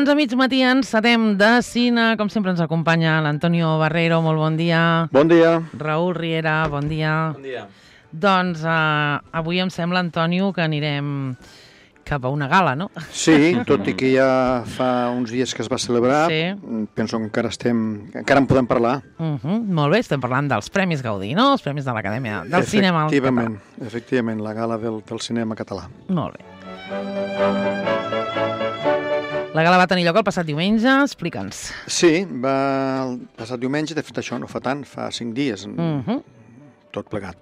Doncs a mig matí encetem de cine. Com sempre ens acompanya l'Antonio Barreiro. Molt bon dia. Bon dia. Raül Riera, bon dia. Bon dia. Doncs avui em sembla, Antonio, que anirem cap a una gala, no? Sí, tot i que ja fa uns dies que es va celebrar, Sí. penso que encara en podem parlar. Molt bé, estem parlant dels Premis Gaudí, no? Els Premis de l'Acadèmia del Cinema Català. Efectivament, la gala del cinema català. Molt bé. La gala va tenir lloc el passat diumenge, explica'ns. Sí, va el passat diumenge, de fet això no fa tant, fa 5 dies, tot plegat.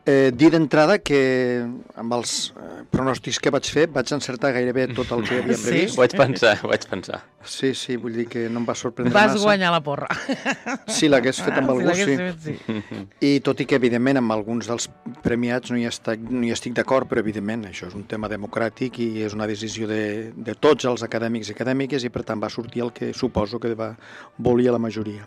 Dir d'entrada que amb els pronòstics que vaig fer vaig encertar gairebé tot el que havíem previst. Ho vaig pensar. Sí, vull dir que no em va sorprendre massa. Vas guanyar la porra. Si l'hagués fet amb algú, sí. Sí. I tot i que, evidentment, amb alguns dels premiats no hi estic d'acord, però, evidentment, això és un tema democràtic i és una decisió de tots els acadèmics i acadèmiques i, per tant, va sortir el que suposo que volia la majoria.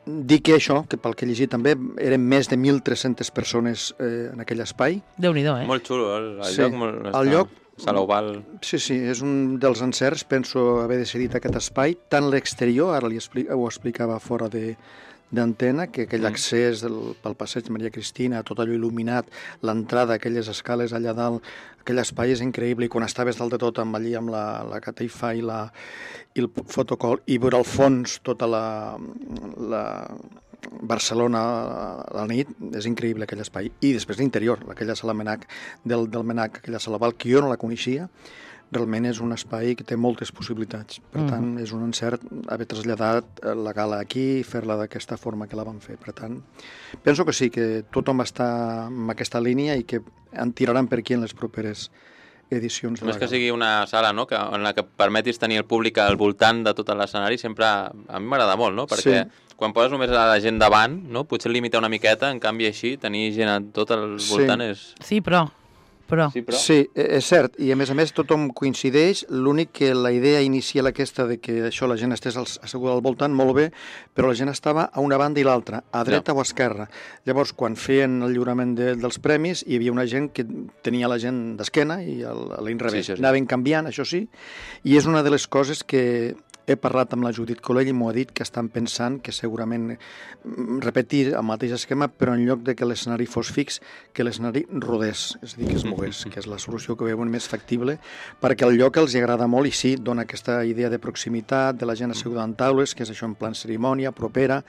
Dir que això, que pel que he llegit també, eren més de 1.300 persones en aquell espai. Déu-n'hi-do, Molt xulo, el Sí, lloc. el lloc... Sala Oval. Sí, és un dels encerts, penso haver decidit aquest espai, tant l'exterior, ara ho explicava fora d'antena, que aquell accés pel passeig Maria Cristina, tot allò il·luminat, l'entrada, aquelles escales allà dalt, aquell espai és increïble, i quan estaves dalt de tot allí amb la catifa i el fotocol, i veure al fons tota la Barcelona a la nit, és increïble aquell espai. I després l'interior, aquella sala Menac del Menac, aquella sala Oval, que jo no la coneixia, realment és un espai que té moltes possibilitats. Per tant, és un encert haver traslladat la gala aquí i fer-la d'aquesta forma que la vam fer. Per tant, penso que sí, que tothom està en aquesta línia i que en tiraran per aquí en les properes edicions de la Més que gala. sigui una sala, no?, en la que permetis tenir el públic al voltant de tot l'escenari, sempre a mi m'agrada molt, no? Perquè quan poses només a la gent davant, no?, potser limita una miqueta, en canvi així, tenir gent a tot al voltant és... Sí, però... Sí, és cert, i a més tothom coincideix, l'únic que la idea inicial aquesta de que això la gent estés asseguda al voltant, molt bé, però la gent estava a una banda i l'altra, a dreta o a esquerra. Llavors, quan feien el lliurament dels premis, hi havia una gent que tenia la gent d'esquena i a l'inrevés. Sí. Anaven canviant, això sí, i és una de les coses que he parlat amb la Judit Colell i m'ho ha dit que estan pensant que segurament repetir el mateix esquema, però en lloc de que l'escenari fos fix, que l'escenari rodés, és a dir, que es mogués, que és la solució que veuen més factible, perquè el lloc els agrada molt i sí, dona aquesta idea de proximitat, de la gent asseguda en taules, que és això en plan cerimònia, propera,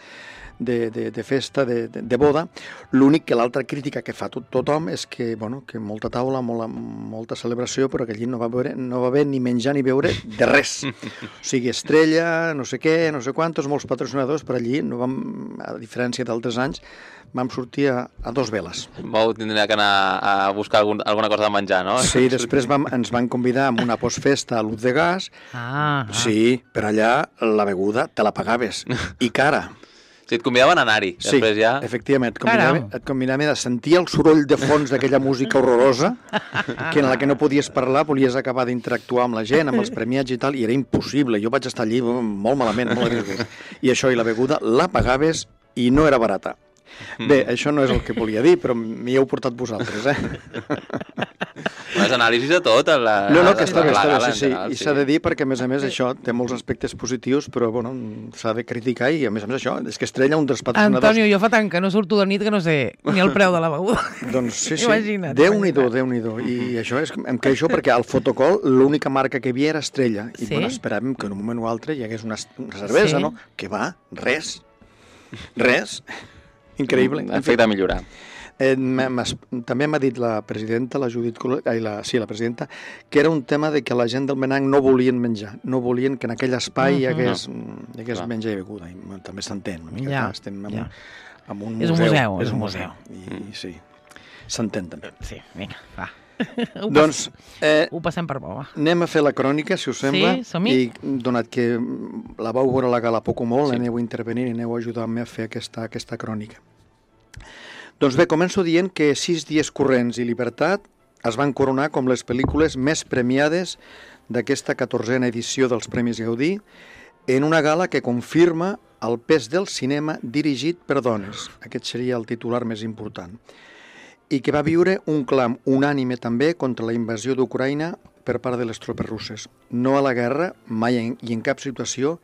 de festa, de boda. L'únic que l'altra crítica que fa tothom és que, bueno, que molta taula, molta celebració, però que allí no va haver ni menjar ni beure de res. O sigui, estrella, no sé què, no sé quantos, molts patrocinadors, però allí no vam, a diferència d'altres anys, vam sortir a 2 veles. Vau tindre que anar a buscar alguna cosa de menjar, no? Sí, després ens van convidar a una postfesta a l'Ut de Gas. Sí, però allà la beguda te la pagaves, i cara. Si et convidaven a anar-hi, després ja... Sí, efectivament, et convidaven a sentir el soroll de fons d'aquella música horrorosa, que en la que no podies parlar, volies acabar d'interactuar amb la gent, amb els premiats i tal, i era impossible. Jo vaig estar allí molt malament, molt a disgust. I això, i la beguda, la pagaves i no era barata. Bé, això no és el que volia dir, però m'hi heu portat vosaltres, Les anàlisis de tot. No, que està bé, sí. I s'ha de dir perquè, a més, això té molts aspectes positius, però, bueno, s'ha de criticar i, a més, això, és que Estrella, un dels patrocinadors... Antonio, jo fa tant que no surto de nit que no sé ni el preu de la beguda. Doncs sí. Imagina't. Déu-n'hi-do. I això em queixo perquè al fotocol l'única marca que hi havia era Estrella. I, bueno, esperàvem que en un moment o altre hi hagués una cervesa, no? Que va, res. Increïble. Efecte de millorar. També m'ha dit la presidenta, la Judit Colell, la presidenta, que era un tema de que la gent del Menac no volien menjar, no volien que en aquell espai hi hagués menjar i beguda. I també s'entén una mica, estem en un museu. És un museu. I sí, s'entén també. Sí, vinga, va. Doncs ho passem per bo, va. Anem a fer la crònica, si us sembla. Sí, som-hi. I donat que la vau veure a la gala poc o molt, aneu a intervenir i aneu a ajudar-me a fer aquesta crònica. Doncs bé, començo dient que 6 dies corrents i Llibertat es van coronar com les pel·lícules més premiades d'aquesta 14a edició dels Premis Gaudí en una gala que confirma el pes del cinema dirigit per dones. Aquest seria el titular més important. I que va viure un clam unànime també contra la invasió d'Ucraïna per part de les tropes russes. No a la guerra, mai i en cap situació,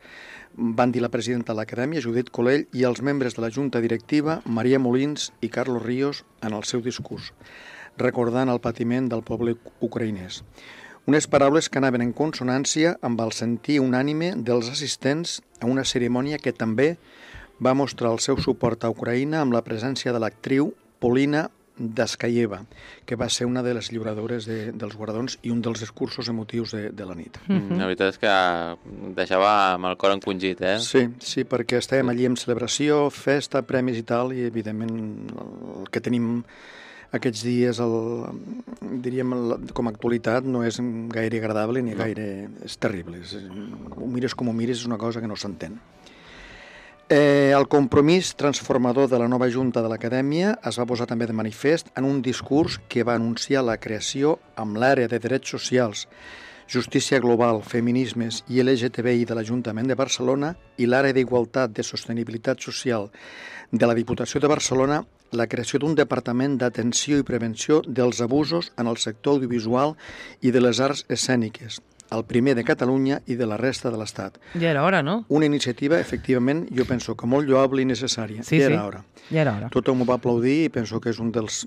van dir la presidenta de l'Acadèmia, Judit Colell, i els membres de la Junta Directiva, Maria Molins i Carlos Ríos, en el seu discurs, recordant el patiment del poble ucraïnès. Unes paraules que anaven en consonància amb el sentir unànime dels assistents a una cerimònia que també va mostrar el seu suport a Ucraïna amb la presència de l'actriu Polina Daskayeva, que va ser una de les lliuradores dels guardons i un dels discursos emotius de la nit. La veritat és que deixava amb el cor encongit, eh? Sí, perquè estàvem allí en celebració, festa, premis i tal, i evidentment el que tenim aquests dies, diríem, com a actualitat, no és gaire agradable ni gaire... És terrible. Ho mires com ho mires, és una cosa que no s'entén. El compromís transformador de la nova Junta de l'Acadèmia es va posar també de manifest en un discurs que va anunciar la creació amb l'àrea de drets socials, justícia global, feminismes i LGTBI de l'Ajuntament de Barcelona i l'àrea d'igualtat de sostenibilitat social de la Diputació de Barcelona, la creació d'un departament d'atenció i prevenció dels abusos en el sector audiovisual i de les arts escèniques, el primer de Catalunya i de la resta de l'Estat. Ja era hora, no? Una iniciativa, efectivament, jo penso que molt lloable i necessària. Sí, ja era hora. Ja era hora. Tothom ho va aplaudir i penso que és un dels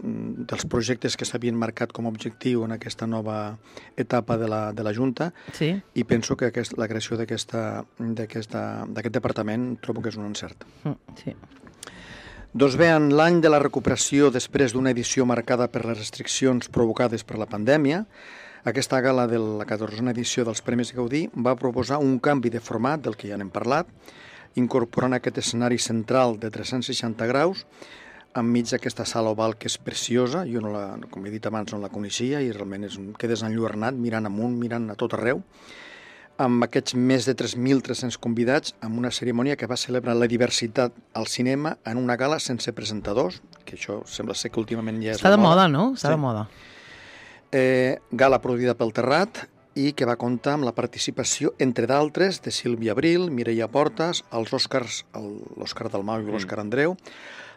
projectes que s'havien marcat com a objectiu en aquesta nova etapa de la Junta, Sí. i penso que la creació d'aquest departament trobo que és un encert. Sí. Doncs bé, en l'any de la recuperació després d'una edició marcada per les restriccions provocades per la pandèmia, aquesta gala de la 14a edició dels Premis Gaudí va proposar un canvi de format del que ja n'hem parlat, incorporant aquest escenari central de 360 graus enmig d'aquesta sala oval que és preciosa. Jo, com he dit abans, no la coneixia i realment quedes enlluernat mirant amunt, mirant a tot arreu, amb aquests més de 3.300 convidats, amb una cerimònia que va celebrar la diversitat al cinema en una gala sense presentadors, que això sembla ser que últimament ja és Està la de moda, moda. no? Està de moda. Gala produïda pel Terrat i que va comptar amb la participació, entre d'altres, de Sílvia Abril, Mireia Portas, els Oscars, l'Òscar Dalmau i l'Òscar Andreu,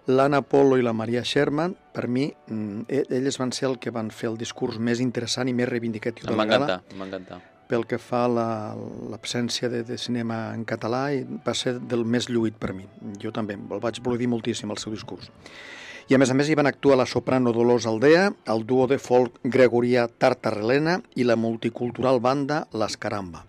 l'Anna Polo i la Maria Sherman. Per mi, elles van ser el que van fer el discurs més interessant i més reivindicatiu de la gala. Em va encantar. Pel que fa a l'absència de cinema en català, i va ser del més lluït per mi. Jo també, el vaig aplaudir moltíssim, el seu discurs. I a més hi van actuar la soprano Dolors Aldea, el duo de folk gregorià Tartarrelena i la multicultural banda Las Caramba.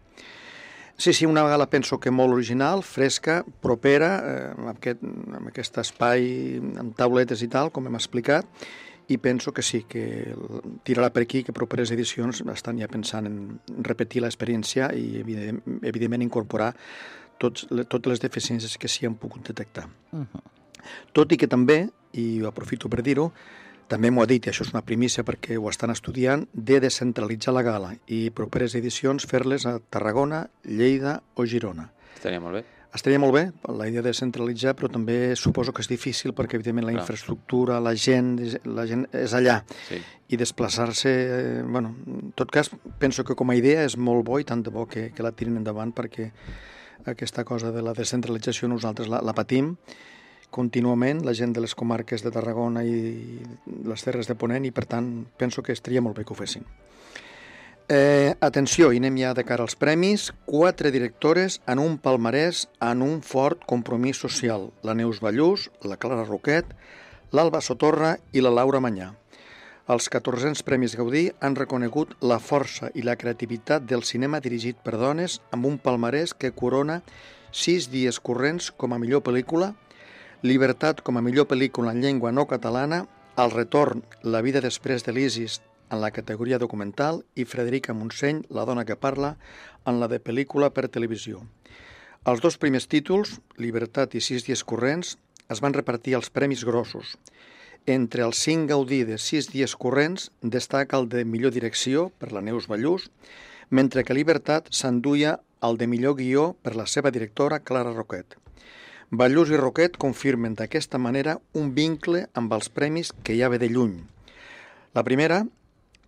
Sí, una gala penso que molt original, fresca, propera, amb aquest espai amb tauletes i tal, com hem explicat, i penso que sí, que tirarà per aquí, que properes edicions estan ja pensant en repetir l'experiència i, evidentment, incorporar totes les deficiències que s'hi han pogut detectar. Tot i que també, i ho aprofito per dir-ho, també m'ho ha dit, i això és una primícia perquè ho estan estudiant, de descentralitzar la gala i properes edicions fer-les a Tarragona, Lleida o Girona. Estaria molt bé. Estaria molt bé, la idea de centralitzar, però també suposo que és difícil perquè, evidentment, la infraestructura, la gent és allà. Sí. I desplaçar-se... Bueno, en tot cas, penso que com a idea és molt bo i tant de bo que la tirin endavant perquè aquesta cosa de la descentralització nosaltres la patim contínuament, la gent de les comarques de Tarragona i les Terres de Ponent, i per tant penso que estaria molt bé que ho fessin. Atenció, i anem ja de cara als premis. 4 directores en un palmarès en un fort compromís social. La Neus Ballús, la Clara Roquet, l'Alba Sotorra i la Laura Manyà. Els 1400 Premis Gaudí han reconegut la força i la creativitat del cinema dirigit per dones amb un palmarès que corona 6 dies corrents com a millor pel·lícula, Llibertat com a millor pel·lícula en llengua no catalana, El retorn, La vida després de l'Isis en la categoria documental i Frederica Montseny, La dona que parla, en la de pel·lícula per televisió. Els 2 primers títols, Llibertat i 6 dies corrents, es van repartir els premis grossos. Entre els 5 Gaudí de 6 dies corrents destaca el de millor direcció per la Neus Ballús, mentre que Llibertat s'enduia el de millor guió per la seva directora Clara Roquet. Ballús i Roquet confirmen d'aquesta manera un vincle amb els premis que ja ve de lluny. La primera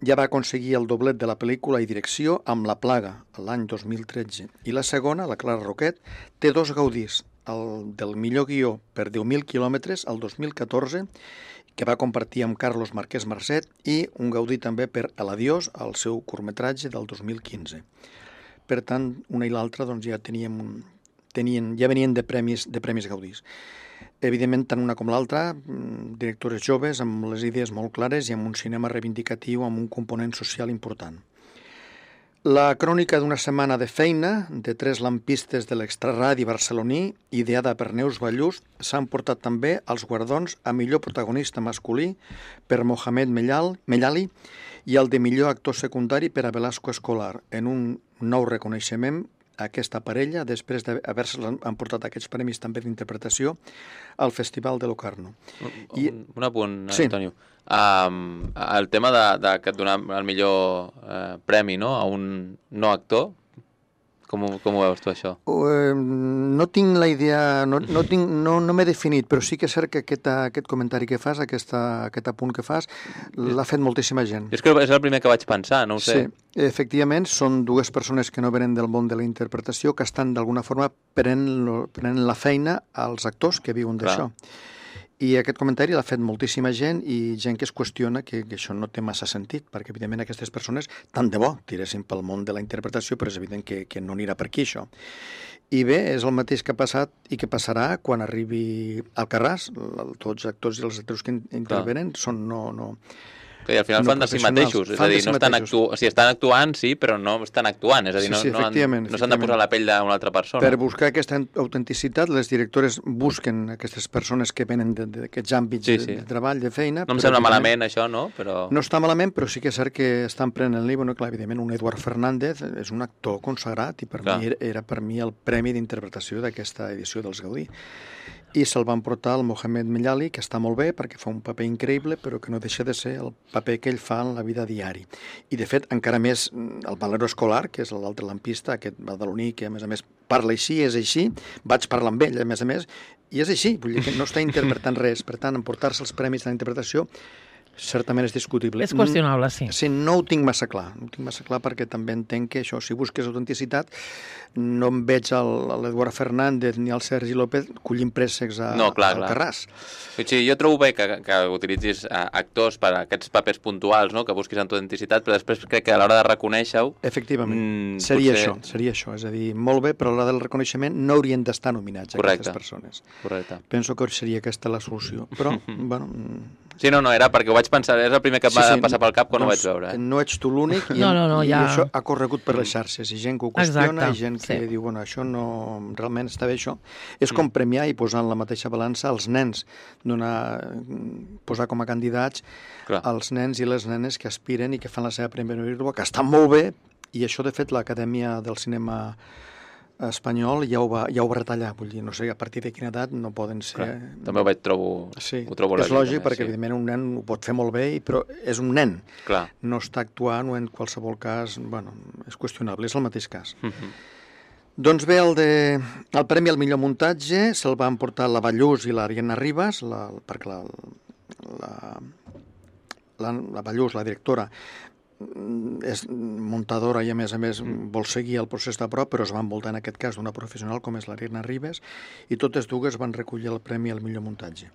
ja va aconseguir el doblet de la pel·lícula i direcció amb La plaga, l'any 2013, i la segona, la Clara Roquet, té 2 Gaudís, el del millor guió per 10.000 quilòmetres, el 2014, que va compartir amb Carlos Marquès Marcet, i un Gaudí també per El Adiós, el seu curtmetratge del 2015. Per tant, una i l'altra doncs, ja venien de premis Gaudís. Evidentment, tant una com l'altra, directores joves amb les idees molt clares i amb un cinema reivindicatiu amb un component social important. La crònica d'una setmana de feina de 3 lampistes de l'extraradi barceloní, ideada per Neus Ballús, s'han portat també els guardons a millor protagonista masculí per Mohamed Mellali i el de millor actor secundari per a Velasco Escolar, en un nou reconeixement a aquesta parella després d'haver-se emportat aquests premis també d'interpretació al Festival de Locarno. Un apunt, sí. Antonio. El tema de donar el millor premi, no?, a un no actor, com ho veus tu, això? No tinc la idea, no m'he definit, però sí que és cert que aquest comentari que fas, aquest apunt que fas, l'ha fet moltíssima gent. És que és el primer que vaig pensar, no ho sé. Sí, efectivament, són 2 persones que no venen del món de la interpretació, que estan d'alguna forma prenent la feina als actors que viuen d'això. I aquest comentari l'ha fet moltíssima gent i gent que es qüestiona que això no té massa sentit, perquè evidentment aquestes persones tant de bo tiressin pel món de la interpretació, però és evident que no anirà per aquí això. I bé, és el mateix que ha passat i que passarà quan arribi Alcarràs. Tots els actors i els actors que intervenen són I al final fan de si mateixos, és a dir, estan actuant, sí, però no estan actuant, és a dir, no s'han de posar la pell d'una altra persona. Per buscar aquesta autenticitat, les directores busquen aquestes persones que venen d'aquests àmbits de treball, de feina. No em sembla malament això, no? No està malament, però sí que és cert que estan prenent-li, clar, evidentment, un Eduard Fernández és un actor consagrat i per mi era el premi d'interpretació d'aquesta edició dels Gaudí. I se'l van portar el Mohamed Mellali, que està molt bé perquè fa un paper increïble, però que no deixa de ser el paper que ell fa en la vida diari. I, de fet, encara més el Valero Escolar, que és l'altre lampista, aquest badaloní, que a més parla així, és així, vaig parlar amb ell, a més, i és així, vull dir que no està interpretant res. Per tant, emportar-se els premis de la interpretació certament és discutible. És qüestionable, sí. Sí, no ho tinc massa clar. No ho tinc massa clar perquè també entenc que això, si busques autenticitat, no em veig l'Eduard Fernández ni el Sergi López collint préssecs al Carràs. Sí, jo trobo bé que utilitzis actors per a aquests papers puntuals, no?, que busquis autenticitat, però després crec que a l'hora de reconèixer-ho... Efectivament, seria això. És a dir, molt bé, però a l'hora del reconeixement no haurien d'estar nominats aquestes persones. Correcte. Penso que seria aquesta la solució. Però, bueno... Sí, no, era perquè ho vaig pensar, és el primer que em va passar pel cap quan ho vaig veure. No ets tu l'únic i això ha corregut per les xarxes, i gent que ho qüestiona, i gent que diu, bueno, això no... realment està bé això. És com premiar i posar en la mateixa balança els nens, posar com a candidats els nens i les nenes que aspiren i que fan la seva primera vídua, que estan molt bé, i això, de fet, l'Acadèmia del Cinema espanyol ja ho va retallar, vull dir, no sé a partir de quina edat no poden ser... També ho trobo és lògic, perquè evidentment un nen ho pot fer molt bé, però és un nen. Clar. No està actuant o en qualsevol cas, bueno, és qüestionable, és el mateix cas. Doncs bé, el premi al millor muntatge se'l van portar la Ballús i l'Ariadna Ribas, perquè la Ballús, la directora, és muntadora i a més vol seguir el procés de prop, però es va envoltar en aquest cas d'una professional com és l'Ariadna Ribas, i totes dues van recollir el premi al millor muntatge.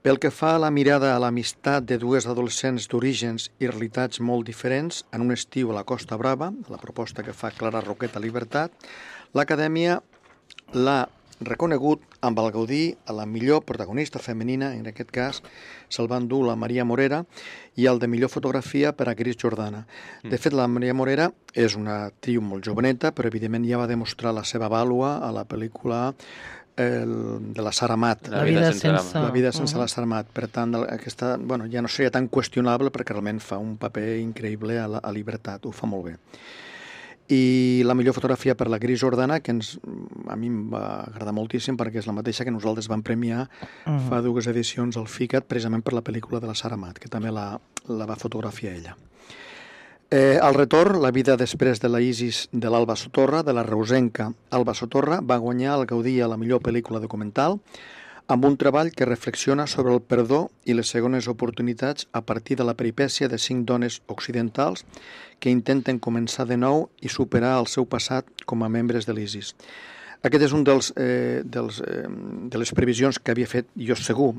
Pel que fa a la mirada a l'amistat de 2 adolescents d'orígens i realitats molt diferents en un estiu a la Costa Brava, la proposta que fa Clara Roqueta Libertat, l'Acadèmia l'ha reconegut amb el Gaudí a la millor protagonista femenina, en aquest cas se'l van dur la Maria Morera, i el de millor fotografia per a Cris Jordana. De fet, la Maria Morera és una actriu molt joveneta, però evidentment ja va demostrar la seva vàlua a la pel·lícula de la Sara Amat. La vida sense la Sara Amat. Per tant, aquesta ja no seria tan qüestionable perquè realment fa un paper increïble a Libertat, ho fa molt bé. I la millor fotografia per la Cris Jordana, que a mi em va agradar moltíssim perquè és la mateixa que nosaltres vam premiar fa 2 edicions al FICAT, precisament per la pel·lícula de la Sara Amat, que també la va fotografiar ella. Al retorn, la vida després de la Isis de l'Alba Sotorra, de la reusenca Alba Sotorra, va guanyar el Gaudí a la millor pel·lícula documental, amb un treball que reflexiona sobre el perdó i les segones oportunitats a partir de la peripècia de 5 dones occidentals que intenten començar de nou i superar el seu passat com a membres de l'ISIS. Aquest és un de les previsions que havia fet jo segur,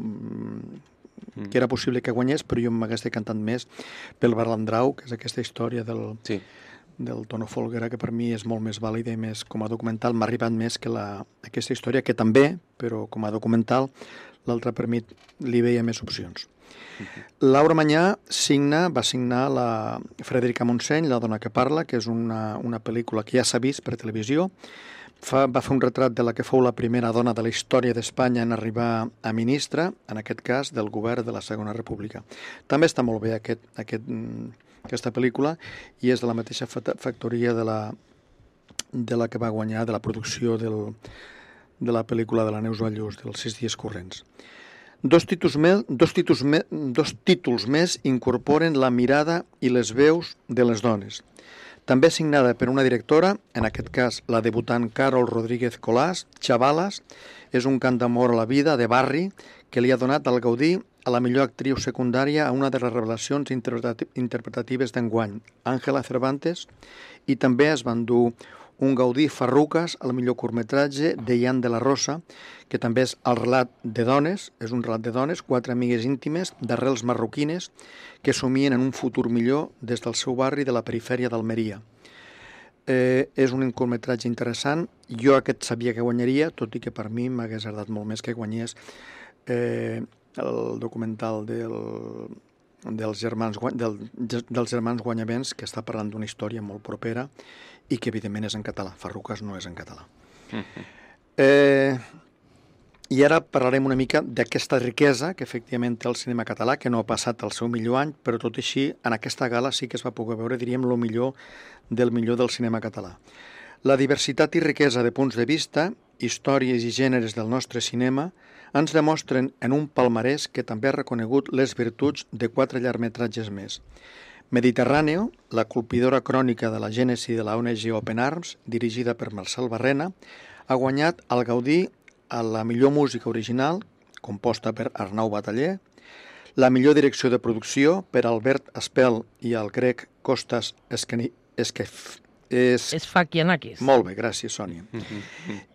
que era possible que guanyés, però jo m'hagués decantat més pel Balandrau, que és aquesta història del Tono Folguera, que per mi és molt més vàlida i més com a documental. M'ha arribat més que aquesta història, que també, però com a documental, l'altre per mi li veia més opcions. Laura Mañá va signar la Frederica Montseny, La dona que parla, que és una pel·lícula que ja s'ha vist per televisió. Va fer un retrat de la que fou la primera dona de la història d'Espanya en arribar a ministra, en aquest cas del govern de la Segona República. També està molt bé aquesta pel·lícula i és de la mateixa factoria de la que va guanyar, de la producció de la pel·lícula de la Neus Ballús, dels 6 dies corrents. Dos títols més incorporen la mirada i les veus de les dones. També signada per una directora, en aquest cas la debutant Carol Rodríguez Colàs, Xavalas, és un cant d'amor a la vida de barri que li ha donat el Gaudí a la millor actriu secundària a una de les revelacions interpretatives d'enguany, Ángela Cervantes, i també es va endur un Gaudí Farruques al millor curtmetratge de Ian de la Rosa, que també és el relat de dones, és un relat de dones, 4 amigues íntimes d'arrels marroquines que somien en un futur millor des del seu barri de la perifèria d'Almeria. És un curtmetratge interessant. Jo aquest sabia que guanyaria, tot i que per mi m'hagués agradat molt més que guanyés el documental dels germans Guanyavents, que està parlant d'una història molt propera i que evidentment és en català. Farruques no és en català. I ara parlarem una mica d'aquesta riquesa que efectivament té el cinema català, que no ha passat el seu millor any, però tot així en aquesta gala sí que es va poder veure, diríem, el millor del cinema català. La diversitat i riquesa de punts de vista, històries i gèneres del nostre cinema ens demostren en un palmarès que també ha reconegut les virtuts de 4 llargmetratges més. Mediterráneo, la colpidora crònica de la gènesi de la ONG Open Arms, dirigida per Marcel Barrena, ha guanyat el Gaudí a la millor música original, composta per Arnau Bataller, la millor direcció de producció per Albert Espel i el grec Kostas Esfakianakis. Molt bé, gràcies, Sònia.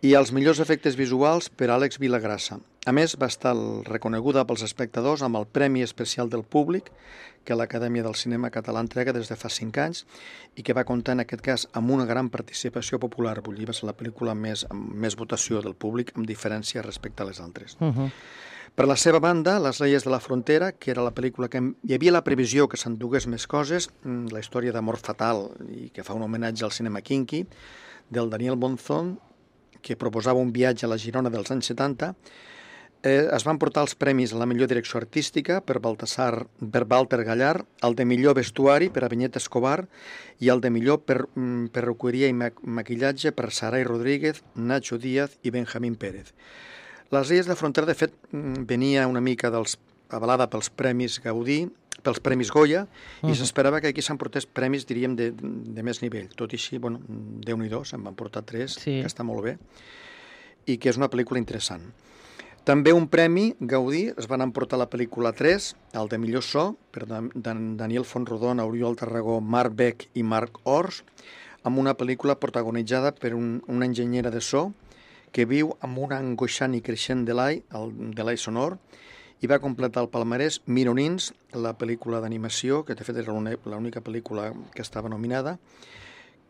I els millors efectes visuals per Àlex Vilagrassa. A més, va estar reconeguda pels espectadors amb el Premi Especial del Públic que l'Acadèmia del Cinema Català entrega des de fa 5 anys i que va comptar, en aquest cas, amb una gran participació popular. Vull dir, va ser la pel·lícula amb més votació del públic, amb diferència respecte a les altres. Per la seva banda, Les Leies de la Frontera, que era la pel·lícula que hi havia la previsió que s'endugués més coses, la història d'amor fatal i que fa un homenatge al cinema kinky, del Daniel Monzón, que proposava un viatge a la Girona dels anys 70, es van portar els premis a la millor direcció artística per Walter Gallar, el de millor vestuari per a Vinyet Escobar i el de millor perruqueria i maquillatge per Saray Rodríguez, Nacho Díaz i Benjamín Pérez. Les Leies de la Frontera, de fet, venia una mica avalada pels Premis Gaudí, pels Premis Goya, i s'esperava que aquí s'emportés premis, diríem, de més nivell. Tot i així, bueno, Déu-n'hi-do, se'n van portar 3, que està molt bé, i que és una pel·lícula interessant. També un premi Gaudí es van emportar la pel·lícula 3, el de millor so, per Daniel Fontrodona, Oriol Tarragó, Marc Beck i Marc Ors, amb una pel·lícula protagonitzada per una enginyera de so que viu amb un angoixant i creixent delay sonor, i va completar el palmarès Mironins, la pel·lícula d'animació, que de fet era l'única pel·lícula que estava nominada,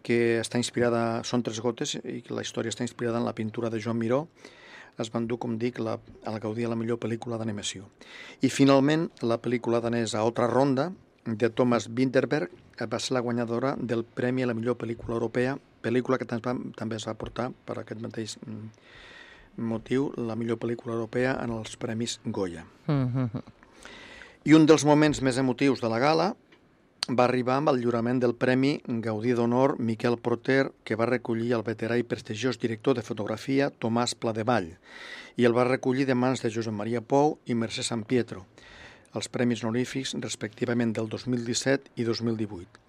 que està inspirada, són 3 gotes, i que la història està inspirada en la pintura de Joan Miró. Es va endur, com dic, el Gaudí a la millor pel·lícula d'animació. I finalment, la pel·lícula danesa Otra Ronda, de Thomas Vinterberg, va ser la guanyadora del Premi a la millor pel·lícula europea, pel·lícula que també es va portar per aquest mateix motiu, la millor pel·lícula europea en els Premis Goya. I un dels moments més emotius de la gala va arribar amb el lliurament del Premi Gaudí d'Honor Miquel Proter, que va recollir el veterà i prestigiós director de fotografia Tomàs Pladevall, i el va recollir de mans de Josep Maria Pou i Mercè San Pietro, els premis honorífics respectivament del 2017 i 2018.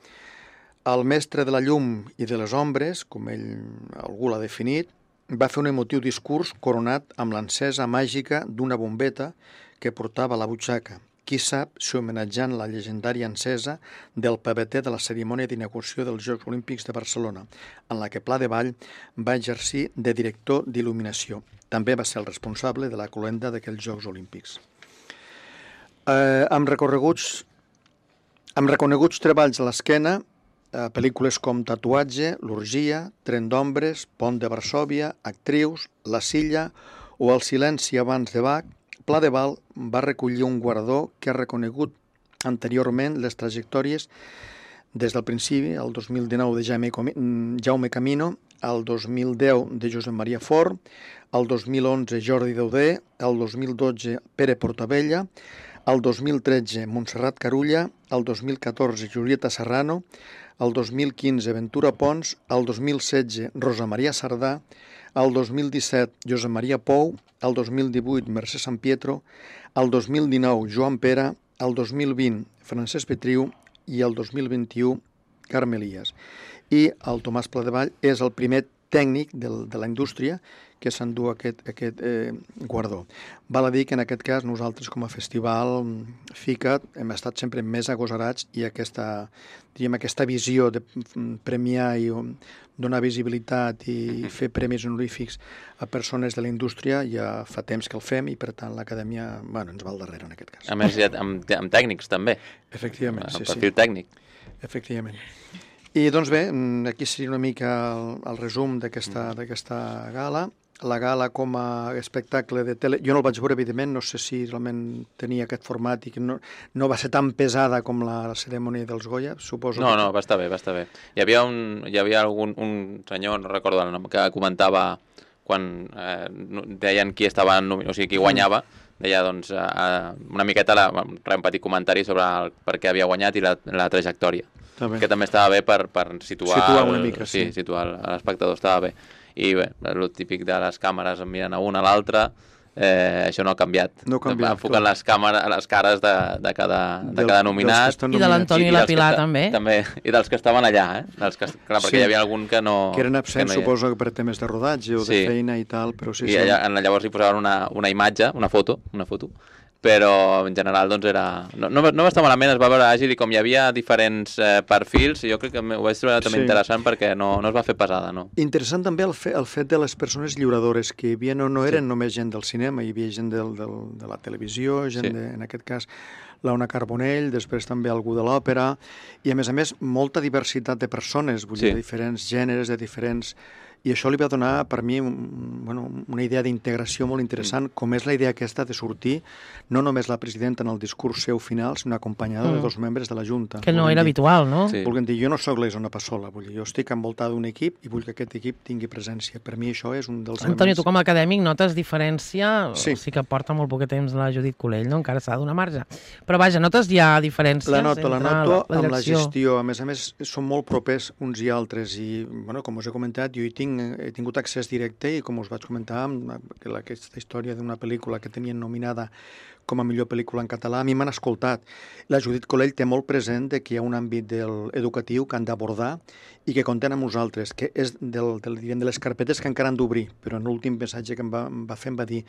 El mestre de la llum i de les ombres, com algú l'ha definit, va fer un emotiu discurs coronat amb l'encesa màgica d'una bombeta que portava a la butxaca. Qui sap si homenatjant la llegendària encesa del paveter de la cerimònia d'inauguració dels Jocs Olímpics de Barcelona, en la que Pladevall va exercir de director d'il·luminació. També va ser el responsable de la cloenda d'aquells Jocs Olímpics. Amb reconeguts treballs a l'esquena, pel·lícules com Tatuatge, L'Orgia, Tren d'Ombres, Pont de Varsòvia, Actrius, La Silla o El silenci abans de Bach, Pla de Val va recollir un guardó que ha reconegut anteriorment les trajectòries des del principi, el 2019 de Jaume Camino, el 2010 de Josep Maria Fort, el 2011 Jordi Dauder, el 2012 Pere Portabella, el 2013 Montserrat Carulla, el 2014 Julieta Serrano, el 2015 Ventura Pons, el 2016 Rosa Maria Sardà, el 2017 Josep Maria Pou, el 2018 Mercè Sant Pietro, el 2019 Joan Pera, el 2020 Francesc Petriu i el 2021 Carme Elias. I el Tomàs Pladevall és el primer tècnic de la indústria que s'endú aquest guardó. Val a dir que en aquest cas nosaltres com a festival FICA hem estat sempre més agosarats i aquesta visió de premiar i donar visibilitat i fer premis honorífics a persones de la indústria ja fa temps que el fem i per tant l'acadèmia ens va al darrere en aquest cas. A més, amb tècnics també. Efectivament, sí. El perfil tècnic. Efectivament. I doncs bé, aquí seria una mica el resum d'aquesta gala. La gala com a espectacle de tele... Jo no el vaig veure, evidentment, no sé si realment tenia aquest format i que no va ser tan pesada com la cerimònia dels Goya, suposo. No, va estar bé. Hi havia un senyor, no recordo el nom, que comentava quan deien qui estava, o sigui, qui guanyava, deia doncs una miqueta un petit comentari sobre per què havia guanyat i la trajectòria. Que també estava bé per situar una mica, sí. Situar l'espectador, estava bé. I bé, el típic de les càmeres mirant a una a l'altra, això no ha canviat. Enfoquen les cares de cada nominat. I de l'Antoni i la Pilar també. I dels que estaven allà, perquè hi havia algun que no... Que eren absents, suposo, per temes de rodatge o de feina i tal, però sí. I llavors hi posaven una imatge, una foto, però en general doncs no va estar malament, es va veure àgil i com hi havia diferents perfils, jo crec que ho vaig trobar també interessant perquè no es va fer pesada, no? Interessant també el fet de les persones lliuradores, que hi havia, no eren només gent del cinema, hi havia gent de la televisió, gent en aquest cas l'Ona Carbonell, després també algú de l'òpera, i a més molta diversitat de persones, vull dir, de diferents gèneres, de diferents... I això li va donar, per mi, una idea d'integració molt interessant, com és la idea aquesta de sortir, no només la presidenta en el discurs seu final, sinó acompanyada de dos membres de la Junta. Que no era habitual, no? Volguem dir, jo no soc l'Isona Passola, vull dir, jo estic envoltada d'un equip i vull que aquest equip tingui presència. Per mi això és un dels elements... Antoni, tu com a acadèmic notes diferència? Sí que porta molt poc temps la Judit Colell, no? Encara s'ha de donar marge. Però vaja, notes ja diferències la noto amb la gestió. A més, són molt propers uns i altres i, com us he comentat, jo he tingut accés directe i, com us vaig comentar, aquesta història d'una pel·lícula que tenien nominada com a millor pel·lícula en català, a mi m'han escoltat. La Judit Colell té molt present que hi ha un àmbit educatiu que han d'abordar i que compten amb nosaltres, que és de les carpetes que encara han d'obrir, però en l'últim missatge que em va fer em va dir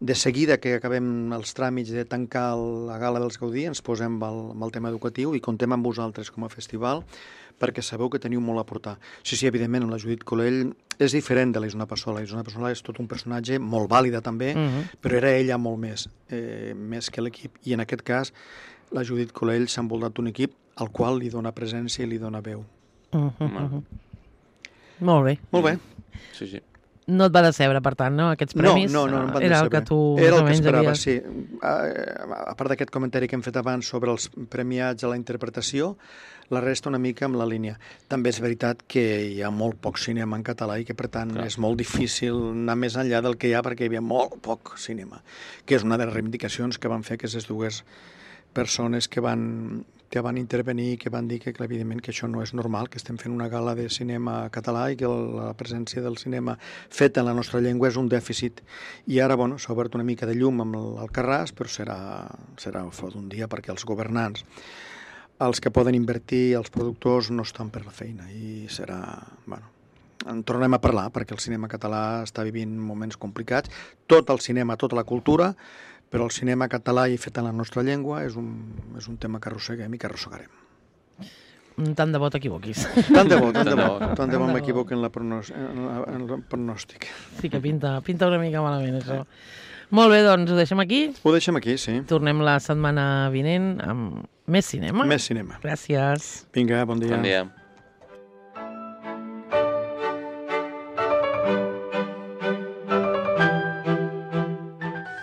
de seguida que acabem els tràmits de tancar la gala dels Gaudí ens posem amb el tema educatiu i comptem amb vosaltres com a festival perquè sabeu que teniu molt a aportar. Sí, evidentment, la Judit Colell és diferent de la Isona Passola. La Isona Passola és tot un personatge molt vàlida també, però era ella molt més que l'equip. I en aquest cas, la Judit Colell s'ha envoltat d'un equip al qual li dona presència i li dona veu. Molt bé. Molt bé. Sí. No et va decebre, per tant, no? Aquests premis? No em van era decebre. El que tu era el que esperava, sí. A part d'aquest comentari que hem fet abans sobre els premiats a la interpretació, la resta una mica amb la línia. També és veritat que hi ha molt poc cinema en català i que, per tant, és molt difícil anar més enllà del que hi ha perquè hi havia molt poc cinema, que és una de les reivindicacions que van fer aquestes dues persones que van intervenir i que van dir que, evidentment, que això no és normal, que estem fent una gala de cinema català i que la presència del cinema feta en la nostra llengua és un dèficit. I ara, s'ha obert una mica de llum amb el Carràs, però serà fora d'un dia perquè els governants, els que poden invertir, els productors, no estan per la feina i serà... en tornem a parlar perquè el cinema català està vivint moments complicats. Tot el cinema, tota la cultura, però el cinema català i fet en la nostra llengua és un tema que arrosseguem i que arrossegarem. Tant de bo t'equivoquis. Tant de bo m'equivoqui en el pronòstic. Sí que pinta una mica malament, això. Molt bé, doncs ho deixem aquí? Ho deixem aquí, sí. Tornem la setmana vinent amb més cinema. Més cinema. Gràcies. Vinga, bon dia. Bon dia.